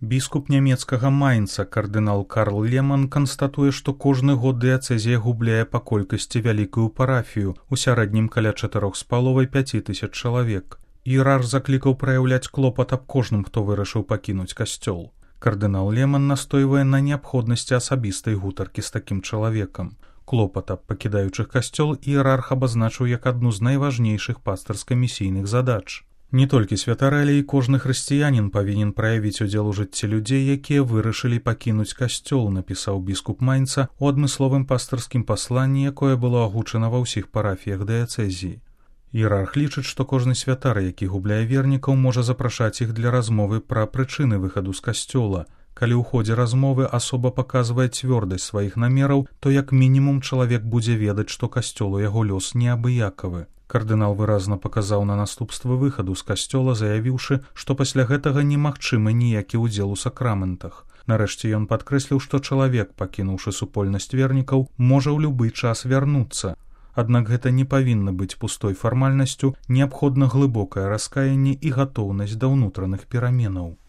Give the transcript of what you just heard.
Біскуп нямецкага Майнца кардынал Карл Леман канстатуе, што кожны год дыяцэзія губляе па колькасці вялікую парафію, у сярэднім каля 4,5–5 тысяч чалавек. Іерарх заклікаў праяўляць клопат аб кожным, хто вырашыў пакінуць касцёл. Кардынал Леман настойвае на неабходнасці асабістай гутаркі з такім чалавекам. Клопат аб пакідаючых касцёл іерарх абазначыў як адну з найважнейшых пастырска-місійных задач. Не толькі святары, але і кожны хрысціянін павінен праявіць удзел у жыцці людзей, якія вырашылі пакінуць касцёл, напісаў біскуп Майнца у адмысловым пастырскім пасланні, якое было агучана ва ўсіх парафіях дыяцэзіі. Іерарх лічыць, што кожны святар, які губляе вернікаў, можа запрашаць іх для размовы пра прычыны выхаду з касцёла. Калі ў ходзе размовы асоба паказвае цвёрдасць сваіх намераў, то як мінімум чалавек будзе ведаць, што касцёлу яго лёс неабыякавы. Кардынал выразна паказаў на наступствы выхаду з касцёла, заявіўшы, што пасля гэтага немагчымы ніякі ўдзел у сакраментах. Нарэшце ён падкрэсліў, што чалавек, пакінуўшы супольнасць вернікаў, можа ў любы час вярнуцца. Аднак гэта не павінна быць пустой фармальнасцю, неабходна глыбокае раскаянне і гатоўнасць да ўнутраных пераменаў.